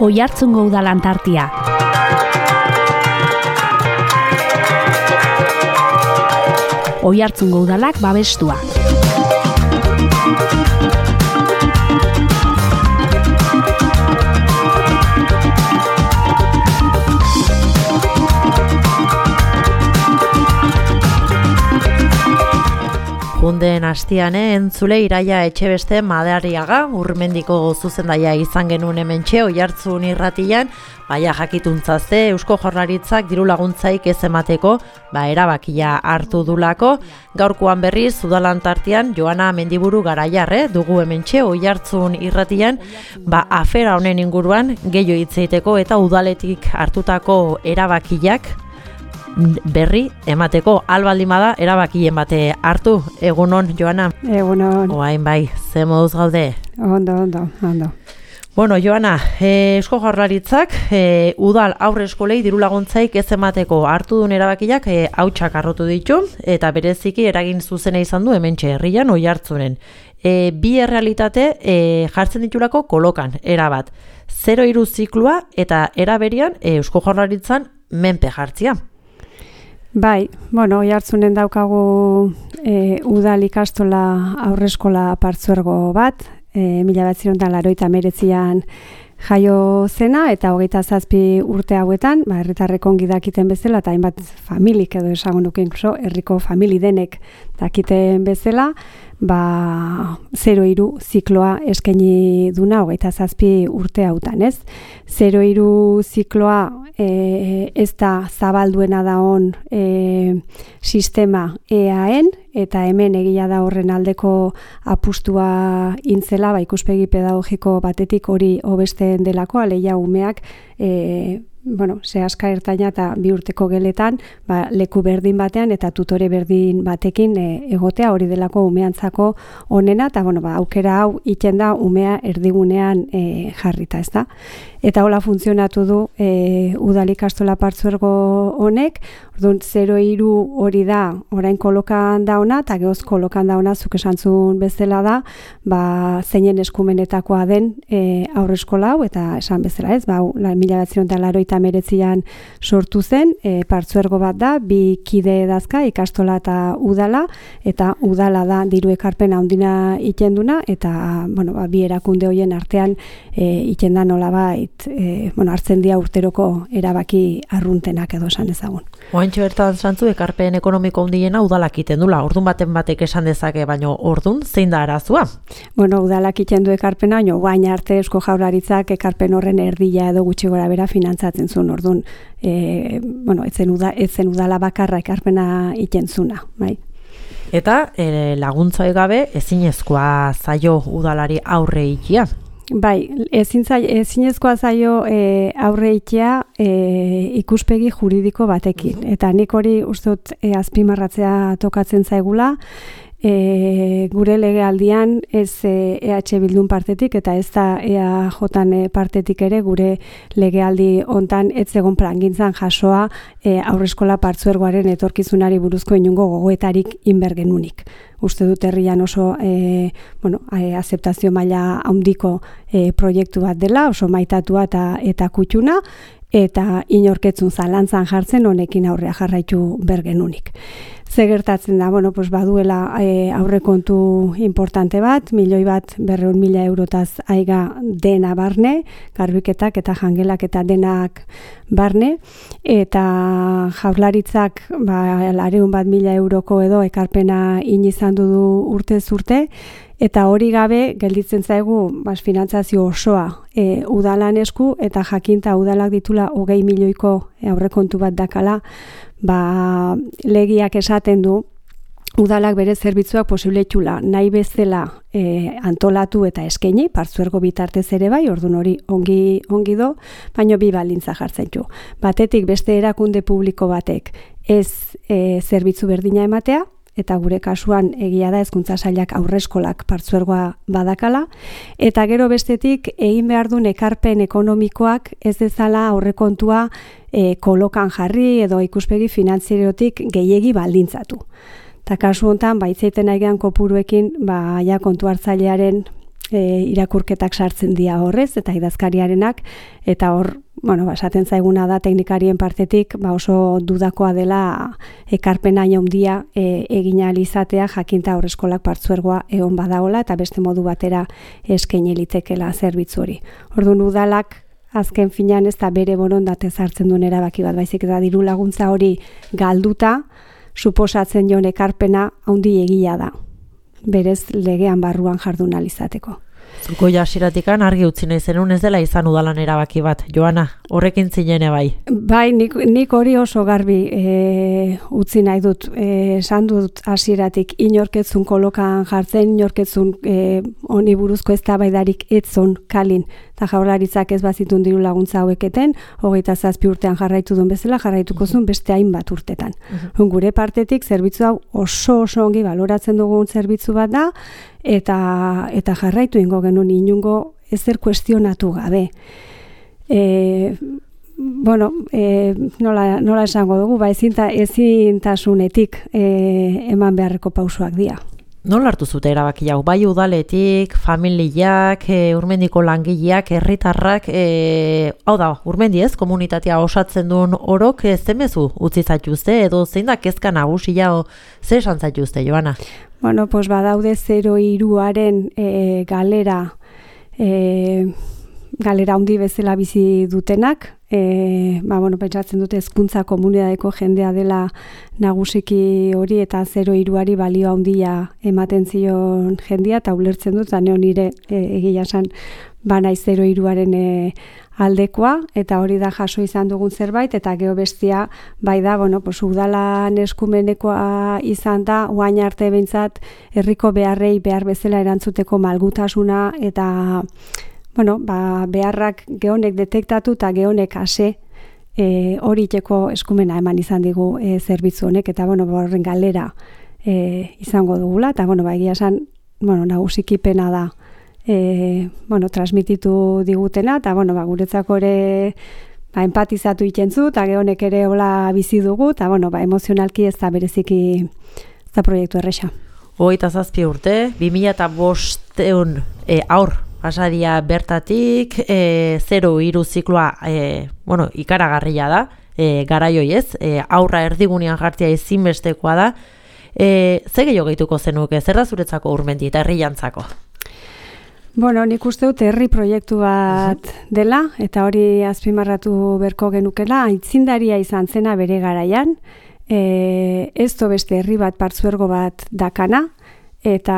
Oiartzungo udalan tartia. Oiartzungo udalak babestua. Junden astian entzule Iraia Etxebeste Madariaga Urmendiko zuzendaia izan genuen hementxe Oiartzun irratian, baina jakituntzaze Eusko Jaurlaritzak diru laguntzaik ez emateko, erabakia hartu dulako. Gaurkoan berriz udalan tartean Joana Mendiburu Garaiarre dugu hementxe Oiartzun irratian, afera honen inguruan gehiago hitz egiteko eta udaletik hartutako erabakiak berri emateko. Albaldin bada erabakien bate hartu. Egunon, Joana? Egunon. Oain bai, ze moduz gaude? Ondo. Bueno, Joana, Eusko Jaurlaritzak udal aurre eskolei diru laguntzaik ez emateko hartu duen erabakiak hautsak harrotu ditu, eta bereziki eragin zuzena izan du hementxe herrian Oiartzunen. Bi errealitate jartzen ditulako kolokan, erabat. 0-3 ziklua eta eraberian Eusko Jaurlaritzan menpe jartzia. Bai, Oiartzunen daukagu udal ikastola aurreskola partzuergo bat, 1989an jaio zena, eta 27 urte hauetan, herritarrek ongi dakiten bezala, eta hainbat familik edo esango nuke inkluso, herriko famili denek dakiten bezala, 0-3 zikloa eskaini duna 27 urte hautan, ez? 0-3 zikloa ez da zabalduena daon sistema EAN, eta hemen egia da horren aldeko apustua intzela, ikuspegi pedagogiko batetik hori hobesten delako, aleia umeak sehaska ertaina eta 2 urteko geletan leku berdin batean eta tutore berdin batekin egotea, hori delako umeantzako onena, eta aukera hau iten da umea erdigunean jarrita, ez da? Eta hola funtzionatu du udal ikastola partzuergo honek. Orduan 0-3 hori da orain kolokan dauna, eta gehoz kolokan dauna zuk esantzun bezala da, zeinen eskumenetakoa den aurreskola hau, eta esan bezala, ez? 1989an sortu zen, partzuergo bat da, 2 kide dazka, ikastola eta udala, eta udala da diru ekarpena handina itenduna, eta bi erakunde horien artean itenda nolabait hartzen dira urteroko erabaki arruntenak edo esan ezagun. Oaintxo bertan zantzu ekarpen ekonomiko handiena udalak iten dula, ordun batek esan dezake, baina ordun zein da arazua? Udalak iten du ekarpena, baina guain arte Eusko Jaurlaritzak ekarpen horren erdia edo gutxi gora bera finantzatzen zuen, ordun etzen udala bakarra ekarpena iten zuna, bai. Eta laguntza gabe ezinezkoa zaio udalari aurre ikia? Bai, ezinezkoa zaio aurre ikia ikuspegi juridiko batekin. Eta nik hori uste dut azpimarratzea tokatzen zaigula, gure legealdian ez EH Bildun partetik eta ez da EAJan partetik ere gure legealdi hontan ez egon plangintzan jasoa aurreskola partzuergoaren etorkizunari buruzko inungo gogoetarik inbergenunik. Uste dut herrian oso azeptazio maila handiko proiektu bat dela, oso maitatua eta kutxuna, eta inorketzun zalantzan jartzen honekin aurrea jarraitu bergenunik. Ze gertatzen da, baduela aurrekontu importante bat, 1.200.000 eurotaz aiga dena barne, garbiketak eta jangelak eta denak barne, eta Jaurlaritzak 200.000 euroko edo ekarpena izan du urtez urte, eta hori gabe gelditzen zaigu finantzazio osoa udalan esku, eta jakinta udalak ditula 20 milioiko aurrekontu bat dakala, legiak esaten du udalak bere zerbitzuak posible itxula nahi bezala antolatu eta eskaini, partzuergo bitartez ere bai, ordun hori ongi do, baino bi baldintza jartzen du. Batetik beste erakunde publiko batek ez zerbitzu berdina ematea, eta gure kasuan egia da Hezkuntza Sailak aurreskolak partzuergoa badakala, eta gero bestetik egin behar duen ekarpen ekonomikoak ez dezala aurrekontua kolokan jarri edo ikuspegi finantzierotik gehiegi baldintzatu. Eta kasu honetan, baitzeiten aigean kopuruekin, kontu hartzailearen irakurketak sartzen dira horrez, eta idazkariarenak, eta hor, esaten zaiguna da teknikarien partetik, oso dudakoa dela ekarpena handia egin ahal izatea, jakinta haurreskolak partzuergoa egon badagola, eta beste modu batera eskaini litekela zerbitzu hori. Orduan udalak, azken finean ez da bere borondate hartzen duen erabaki bat, baizik eta diru laguntza hori galduta, suposatzen joan ekarpena handi egia da. Berez legean barruan jardun ahal izateko. Zuko jasiratikan argi utzi nahi zenun ez dela izan udalan erabaki bat. Joana, horrekin zinene bai? Bai, nik hori oso garbi utzi nahi dut. Esan dut hasieratik inorketzun kolokan jartzen, inorketzun honi buruzko eztabaidarik etzon kalin. Eta Jaurlaritzak ez bazitun diru laguntza haueketen, 27 urtean jarraitu duen bezala, jarraituko zuen beste hainbat urtetan. Gure partetik zerbitzu hau oso ongi baloratzen dugun zerbitzu bat da, eta jarraitu ingo genuen inungo ezer kuestionatu gabe. Nola esango dugu, ezintasunetik eman beharreko pausoak dira. Nola hartu zute erabaki hau? Bai udaletik, familiak, Urmendiko langileak, herritarrak, hau da, Urmendi ez, komunitatea osatzen duen orok, zemezu utzi zaituzte, edo zein da kezka nagusia, ze esan zaituzte, Joana? Badaude 03aren galera handi bezala bizi dutenak, pentsatzen dute hezkuntza komunitateko jendea dela nagusiki hori eta 03ari balio handia ematen zion jendea, eta ulertzen dut, zane nire egia esan banaiz 03aren aldekoa, eta hori da jaso izan dugun zerbait, eta gero bestia bai da, udalan eskumenekoa izan da, oain arte behintzat herriko beharrei behar bezala erantzuteko malgutasuna, eta beharrak gehonek detektatu eta gehonek ase hori iteko eskumena eman izan digu zerbitzu honek, eta horren galera izango dugula, eta egia esan nagusiki pena da transmititu digutena, eta guretzako ere empatizatu itentzu, eta gehonek ere hola bizi dugu, eta emozionalki ez da bereziki ez da proiektu erresa. 27 urte, 2005 aur pasadia bertatik, 03 zikloa ikaragarria da, garaioi ez, aurra erdigunean jartzea ezinbestekoa da. Ze gehiago gehituko zenuke, zer da zuretzako Urmendi eta herriantzako? Nik uste dut herri proiektu bat dela, eta hori azpimarratu berko genukela, aitzindaria izan zena bere garaian, ez do beste herri bat partzuergo bat dakana, eta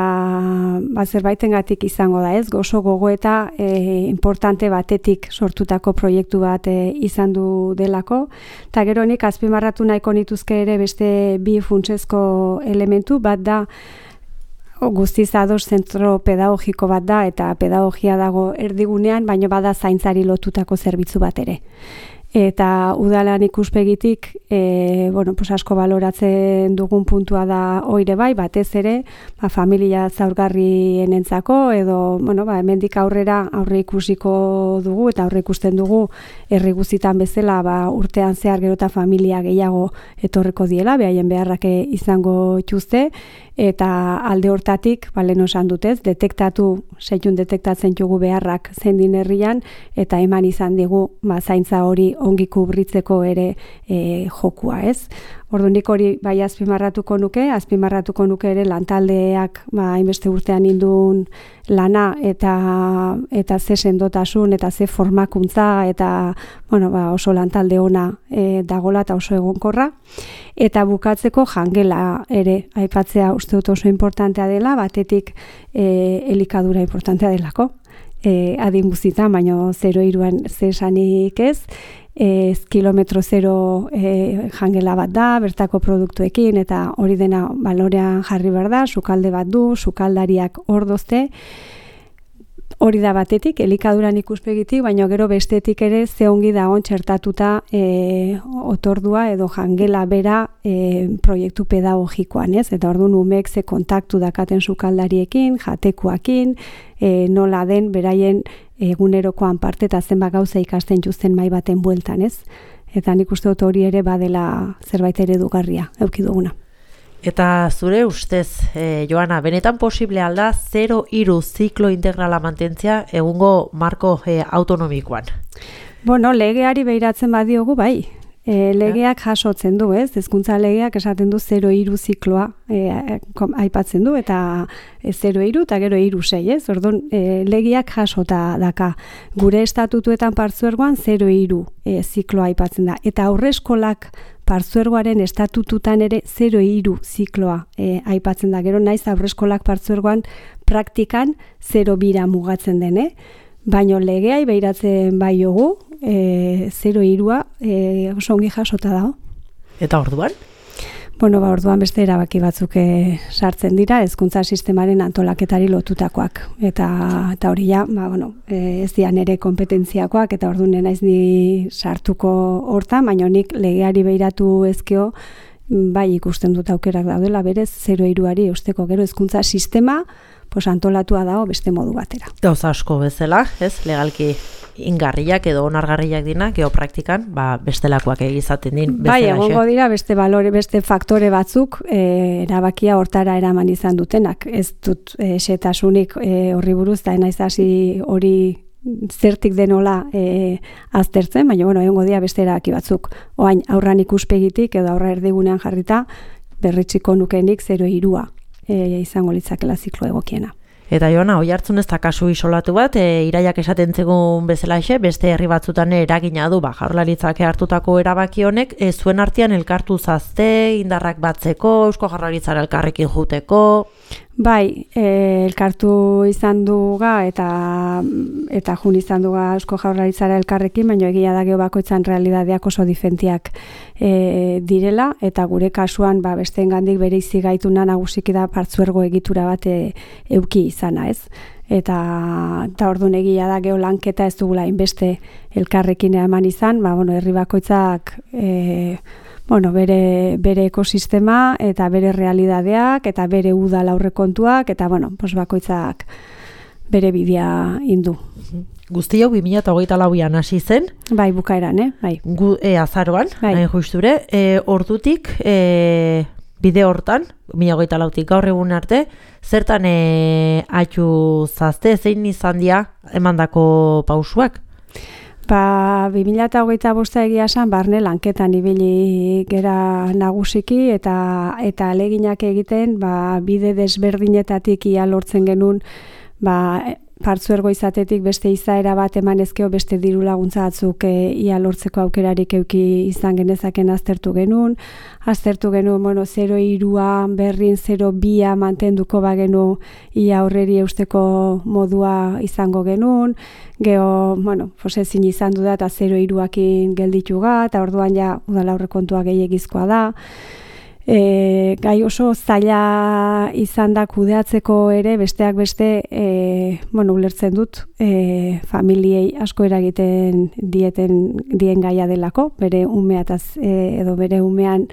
zerbaitengatik izango da ez, oso gogoeta importante batetik sortutako proiektu bat izan du delako, eta gero nik azpimarratu nahiko nituzke ere beste bi funtsezko elementu, bat da guztiz ados zentro pedagogiko bat da, eta pedagogia dago erdigunean, baina bada zaintzari lotutako zerbitzu bat ere. Eta udalan ikuspegitik asko baloratzen dugun puntua da oire bai, batez ere familia zaurgarrienentzako, edo hemendik aurrera aurre ikusiko dugu eta aurre ikusten dugu herri guztitan bezala urtean zehar gero eta familia gehiago etorreko diela, behaien beharrak izango dituzte, eta alde hortatik, lehen esan dutez, detektatzen dugu beharrak zein din herrian, eta eman izan digu zaintza hori ongi kubritzeko ere jokua, ez? Orduan nik hori bai azpimarratuko nuke ere lantaldeak hainbeste urtean indun lana eta ze sendotasun eta ze formakuntza eta oso lantalde ona dagola eta oso egonkorra. Eta bukatzeko jangela ere aipatzea uste dut oso importantea dela, batetik elikadura importantea delako. Adin guztietan, baina 03an zesanik ez, kilometro zero jangela bat da, bertako produktuekin, eta hori dena balorean jarri behar da, sukalde bat du, sukaldariak ordozte, hori da batetik, elikaduran ikuspegitik, baina gero bestetik ere ze ongi dagoen txertatuta otordua edo jangela bera proiektu pedagogikoan, ez? Eta orduan umeek ze kontaktu dakaten sukaldariekin, jatekuakin, nola den beraien egunerokoan parte eta zenbat gauza ikasten justen mai baten bueltan, ez? Eta nik uste dut hori ere badela zerbait eredugarria eduki duguna. Eta zure ustez, Joana, benetan posible alda 0-3 ziklo integrala mantentzia egungo marko autonomikoan? Bueno, legeari behiratzen badiogu, bai. Legeak jasotzen du, ez? Hezkuntza legeak esaten du 0-3 zikloa aipatzen du, eta 0-3 eta gero 3-6, ez? Orduan, legeak jasota daka. Gure estatutuetan partzuergoan 0-3 zikloa aipatzen da. Eta aurreskolak partzuergoaren estatututan ere 0-3 zikloa aipatzen da. Gero naiz aurreskolak partzuergoan praktikan 0-2 mugatzen den, Baino legeai behiratzen bai jogu, 0-3 oso ongi jasota dago. Eta orduan? Bueno, orduan beste erabaki batzuk sartzen dira, hezkuntza sistemaren antolaketari lotutakoak. Eta hori ja, ez dian ere kompetentziakoak, eta orduan naiz ni sartuko hortan, baina nik legeari behiratu ezkeo, bai ikusten dut aukerak daudela, berez 0-3ari eusteko gero hezkuntza sistema, antolatua dago beste modu batera. Gauza asko bezala, ez, legalki ingarriak edo onargarriak dina, geopraktikan, bestelakoak egizaten din. Bai, egongo dira beste faktore batzuk erabakia hortara eraman izan dutenak. Ez dut xetasunik horri buruz, da naiz hasi hori zertik denola aztertzen, baina egongo dira beste erabaki batzuk. Oain, aurran ikuspegitik edo aurra erdigunean jarrita, berritxiko nukenik 0-3 izango litzakela ziklo egokiena. Eta Joana, Oiartzun ez da kasu isolatu bat, iraiak esaten zegoen bezalaxe, beste herri batzutan eragina du, Jaurlaritzak hartutako erabaki honek, zuen artean elkartu zazte, indarrak batzeko, Eusko Jaurlaritzara elkarrekin juteko. Bai, elkartu izan duga eta jun izan duga Eusko Jaurlaritzara elkarrekin, baina egia da bakoitzan realidadeak oso diferentiak direla, eta gure kasuan besteengandik bereizi gaituna nagusiki da partzuergo egitura bat euki izana, ez? Eta orduan egia da lanketa ez dugula inbeste elkarrekin eman izan, herri bakoitzak bere ekosistema eta bere realidadeak eta bere udal aurrekontuak eta bakoitzak bere bidea indu. Guzti hau 2024an hasi zen? Bai, bukaeran, bai. Azaroan, bai. Nahi justure, ordutik bide hortan, 2024tik gaur egun arte, zertan atxu zazte, zein izan dira emandako pausuak? 2025 egia esan barne lanketan ibili gera nagusiki eta aleginak egiten bide desberdinetatik ia lortzen genuen partzuergo izatetik beste izaera bat eman ezkeo beste diru laguntza batzuk ia lortzeko aukerarik euki izan genezaken aztertu genuen 0-3 berrin 0-2 mantenduko bagenu ia horreri eusteko modua izango genuen, geho, ezin izan du da eta 0-3akin geldituga, eta orduan ja udala aurrekontua gehiagizkoa da. Gai oso zaila izan da kudeatzeko ere, besteak beste, ulertzen dut, familiei asko eragiten dien gaia delako, bere umeataz edo bere umean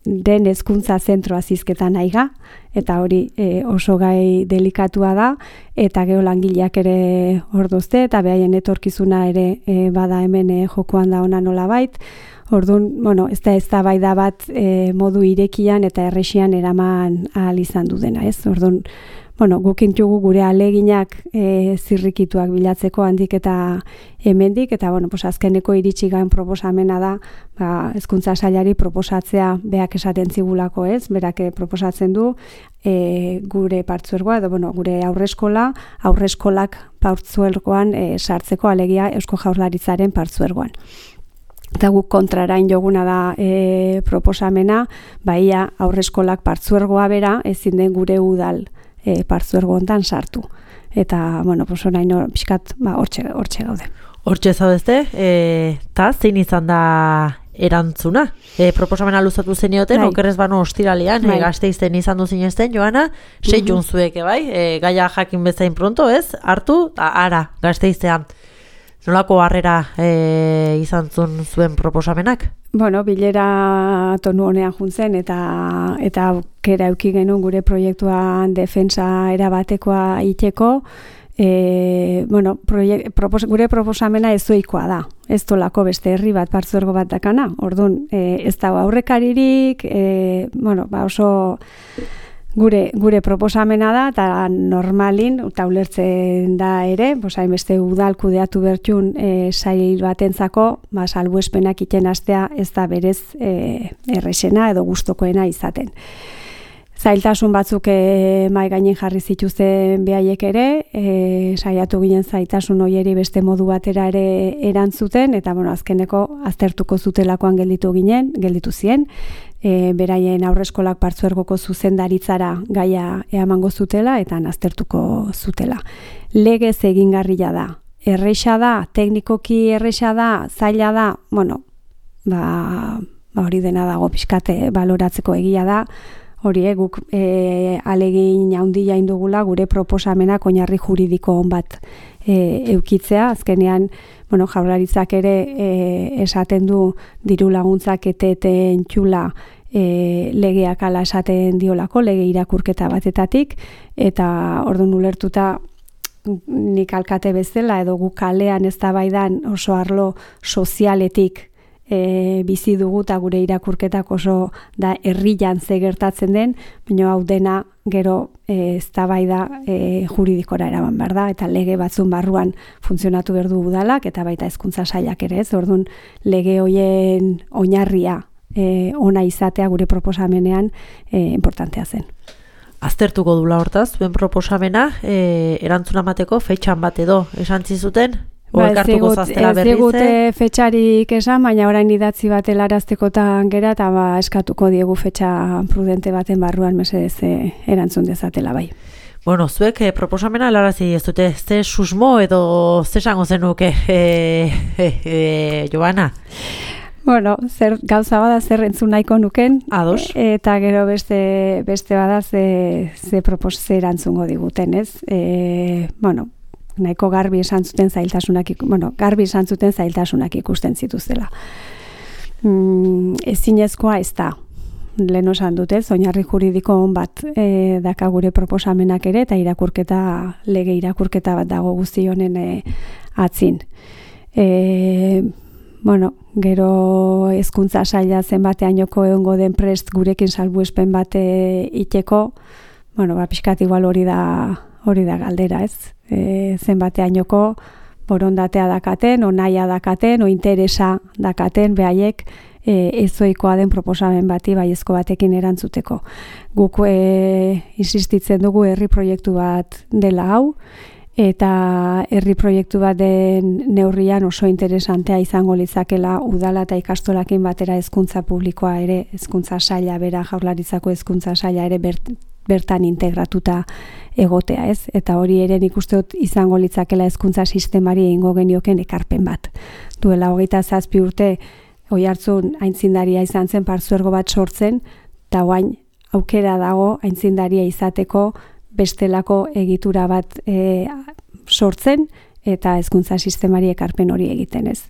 den hezkuntza zentroa zizketan aiga, eta hori oso gai delikatua da, eta geolangileak ere ordozte, eta behaien etorkizuna ere bada hemen jokoan da ona nolabait. Orduan, ez da bai da bat modu irekian eta errexian eraman ahal izan du dena, ez? Orduan, gukintugu gure aleginak zirrikituak bilatzeko handik eta hemendik, eta azkeneko iritsigan proposamena da, hezkuntza sailari proposatzea beak esaten zigulako, ez? Berak proposatzen du gure partzuergoa, edo gure aurreskolak partzuergoan sartzeko alegia Eusko Jaurlaritzaren partzuergoan. Eta guk kontrarain joguna da proposamena, ia aurreskolak partzuergoa bera ezin den gure udal partzuergo hontan sartu. Eta, orain pixkat hortxe gaude. Hortxe zaudezte, eta zein izan da erantzuna? Proposamena luzatu zenioten, okerrez bano ostiralean, Gasteizen izan du zinezten, Joana, seitun zueke bai, gaia jakin bezain pronto, ez? Hartu, ara, Gasteizean. Nolako harrera izan zuen proposamenak? Bilera tonu honean juntzen eta aukera euki genuen gure proiektuan defensa erabatekoa iteko, gure proposamena ezoikoa da. Ez dolako beste herri bat partzuergo bat dakana. Orduan, ez dago aurrekaririk, oso gure proposamena da, eta normalin, eta ulertzen da ere, hainbeste udal kudeatu bertxun sail batentzako, salbuespenak iten astea ez da berez errexena edo gustokoena izaten. Zailtasun batzuk mai gainen jarri zituzten behaiek ere, saiatu ginen zailtasun hoieri beste modu batera ere erantzuten, eta azkeneko aztertuko zutelakoan gelditu zien, beraien aurreskolak partzuergoko zuzendaritzara gaia eamango zutela, eta aztertuko zutela. Legez egingarria da, erresa da, teknikoki erresa da, zaila da, hori dena dago pixkate baloratzeko egia da, hori guk alegin handia indugula gure proposamenak oinarri juridiko on bat eukitzea. Azkenean, Jaurlaritzak ere esaten du diru laguntzak eteten txula legeak ala esaten diolako, lege irakurketa batetatik, eta orduan ulertuta nik alkate bezala edo guk kalean eztabaidan oso arlo sozialetik bizi dugu eta gure irakurketak oso da herrian ze gertatzen den, baina hau dena gero eztabaida juridikora eraman behar da, eta lege batzun barruan funtzionatu behar du udalak, eta baita hezkuntza sailak ere, orduan lege hoien oinarria ona izatea gure proposamenean importantea zen. Aztertuko dula hortaz, zuen proposamena, erantzuna emateko fetxan bat edo esan zizuten? Ez digute fetxarik esan, baina orain idatzi bat helaraztekotan gera, eta eskatuko diegu fetxa prudente baten barruan mesedez erantzun dezatela bai. Zuek proposamena helarazi ez dute, ze susmo edo ze esango zenuke, Joana? Zer gauza bada zer entzun nahiko nuken, ados. Eta gero beste bada ze erantzungo diguten, ez? Nahiko garbi esan zuten zailtasunak ikusten zituztela. Ezinezkoa ez da. Lehen esan dut, oinarri juridiko on bat daka gure proposamenak ere, eta lege irakurketa bat dago guzti honen atzin. Gero hezkuntza saila zenbateainoko egongo den prest gurekin salbuespen bat iteko, pixkat igual hori da galdera, ez? Zenbateainoko borondatea dakaten, nahia dakaten, interesa dakaten, behaiek ezoikoa den proposamen bati baiezko batekin erantzuteko. Guk insistitzen dugu herri proiektu bat dela hau, eta herri proiektu bat den neurrian oso interesantea izango litzakela udala eta ikastolakin batera hezkuntza publikoa ere, hezkuntza saila bera, Jaurlaritzako hezkuntza saila ere bertan integratuta egotea, ez? Eta hori ere nik uste dut izango litzakela hezkuntza sistemari egingo genioken ekarpen bat. Duela 27 urte Oiartzun aintzindaria izan zen partzuergo bat sortzen, eta orain aukera dago aintzindaria izateko bestelako egitura bat sortzen eta hezkuntza sistemari ekarpen hori egiten, ez?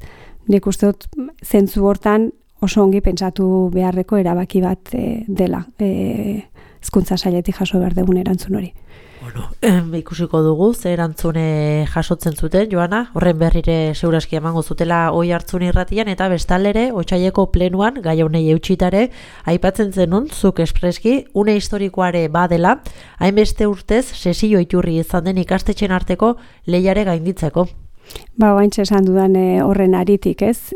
Nik uste dut zentzu hortan oso ongi pentsatu beharreko erabaki bat dela. Hezkuntza sailetik jaso behar dugun erantzun hori. Ikusiko dugu, ze erantzune jasotzen zuten, Joana, horren berrire seguraski emango zutela Oiartzun irratian, eta bestaldere, otsaileko plenuan, gai honei eutxitare, aipatzen zenun, zuk espreski, une historikoare badela, hainbeste urtez, sesio iturri izan den ikastetxen arteko lehiare gainditzeko. Baintxe esan dudan horren aritik, ez?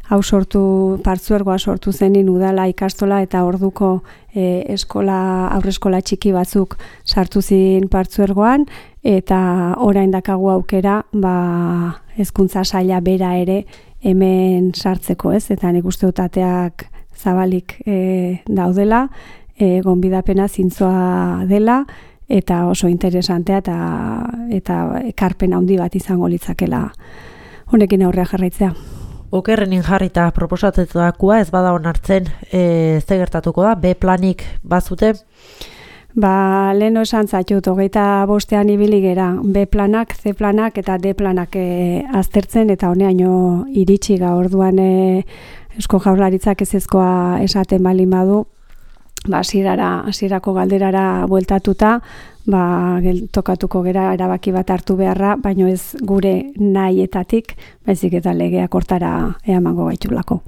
Partzuergoa sortu zenin udala ikastola eta orduko aurreskola txiki batzuk sartu zin partzuergoan, eta orain dakagu aukera hezkuntza saila bera ere hemen sartzeko, ez? Eta nik uste dut ateak zabalik daudela, gonbidapena zintzoa dela, eta oso interesantea eta ekarpen handi bat izango litzakela honekin aurrea jarraitzea. Okerrenin jarrita proposatetakoa ez bada onartzen, ze gertatuko da, B planik bazute? Leheno esan zaitut, 25ean ibili gera, B planak, C planak eta D planak aztertzen, eta honeaino iritsi orduan Eusko Jaurlaritzak ezezkoa esaten balin badu, hasierako galderara bueltatuta, tokatuko gera erabaki bat hartu beharra, baino ez gure nahietatik, baizik eta legeak hortara eamango gaitulako.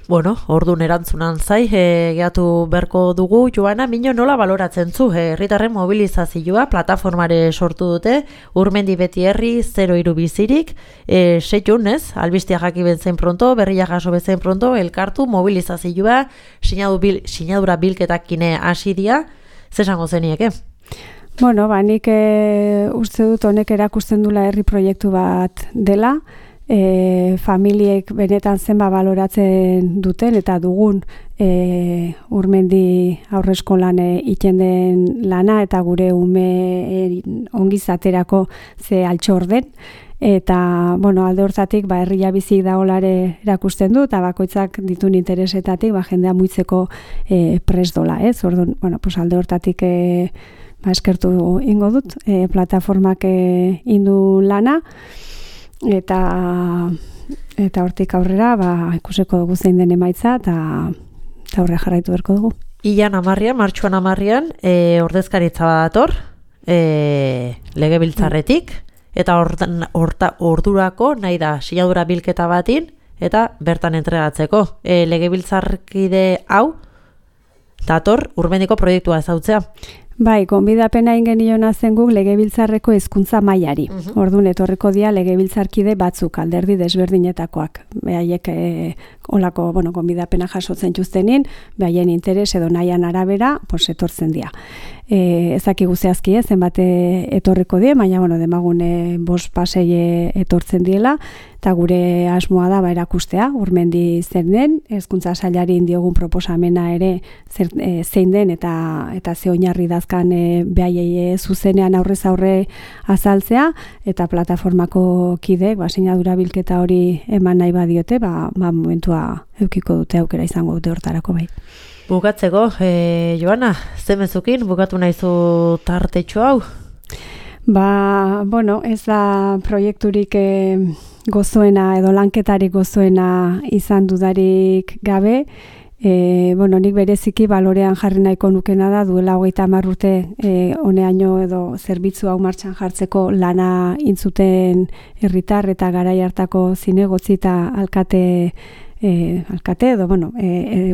Bueno, ordun erantzunan zai, gehatu berko dugu. Joana, Miño, nola baloratzen zu? Herritarren mobilizazioa plataformare sortu dute, Urmendi beti herri 03 bizirik, seiun, ez? Albistia jaki benzen pronto, berria jaso benzen pronto, elkartu mobilizazioa, sinadura bilketakine hasi dia, zesango zenieke? Bueno, nik uste dut honek erakusten dula herri proiektu bat dela, familiek benetan zenba baloratzen duten eta dugun Urmendi aurreskolan iten den lana eta gure ume ongizaterako ze altxor den. Eta, alde hortatik, herria bizik daolare erakusten du, eta bakoitzak ditun interesetatik, jendea muitzeko prest dola, ez? Orduan, alde hortatik eskertu ingo dut, plataformak indu lana, eta hortik aurrera ikusiko dugu zein den emaitza eta aurre jarraitu berko dugu. Martxuan 10 ordezkaritza dator legebiltzarretik eta ordurako nahi da sinadura bilketa batin eta bertan entregatzeko. Legebiltzarkide hau dator Urmendiko proiektua ezautzea. Bai, gonbidapena ingeniona zen guk legebiltzarreko hezkuntza mailari. Orduan etorriko dira legebiltzarkide batzuk, alderdi desberdinetakoak. Behaiek olako, gonbidapena jasotzen txuztenin, behaien interes edo nahian arabera, etortzen dira. Ezakigu zehazki zenbat etorriko die, baina demagun 5 pasei etortzen diela, eta gure asmoa da erakustea, Urmendi zer den, hezkuntza sailari diogun proposamena ere zein den eta ze oinarri dazkan behaiei zuzenean aurrez aurre azaltzea, eta plataformako kideek sinadura bilketa hori eman nahi badiote, momentua eukiko dute aukera izango dute hortarako bai. Bukatzeko, Joana, zemezukin bukatu nahizu tartetxo hau? Ez da proiekturik gozoena edo lanketarik gozoena izan dudarik gabe. Nik bereziki balorean jarri nahiko nukena da duela 30 urte honeaino edo zerbitzu hau martxan jartzeko lana intzuten herritar eta garai hartako zinegotzi eta alkate edo,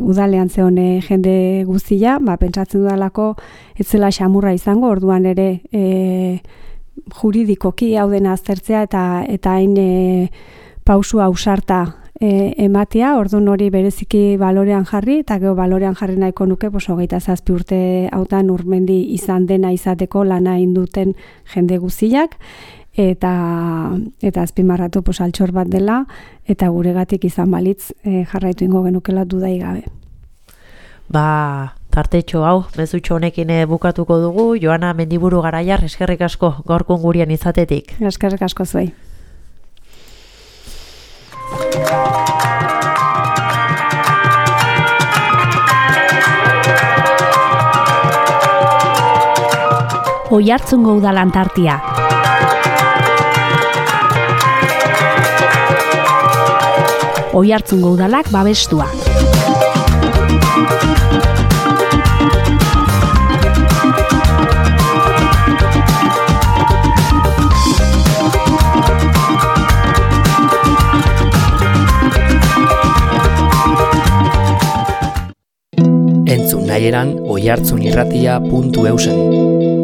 udalean zeon jende guztia, pentsatzen dudalako ez zela xamurra izango, orduan ere juridikoki hau dena aztertzea eta hain pausu ausarta ematea, orduan hori bereziki balorean jarri, eta gero balorean jarri nahiko nuke, 27 urte hautan Urmendi izan dena izateko lana induten jende guztiak, eta azpimarratu altxor bat dela, eta guregatik izan balitz jarraitu ingo genukela dudai gabe. Tartetxo hau, mezutxo honekin bukatuko dugu. Joana Mendiburu Garaiar, eskerrik asko gaurkon gurean izatetik. Eskerrik asko zuei. Oiartzungo Udal Antartia. Oiartzungo Udalak babestua. Entzun nahieran oiartzunirratia.eusen.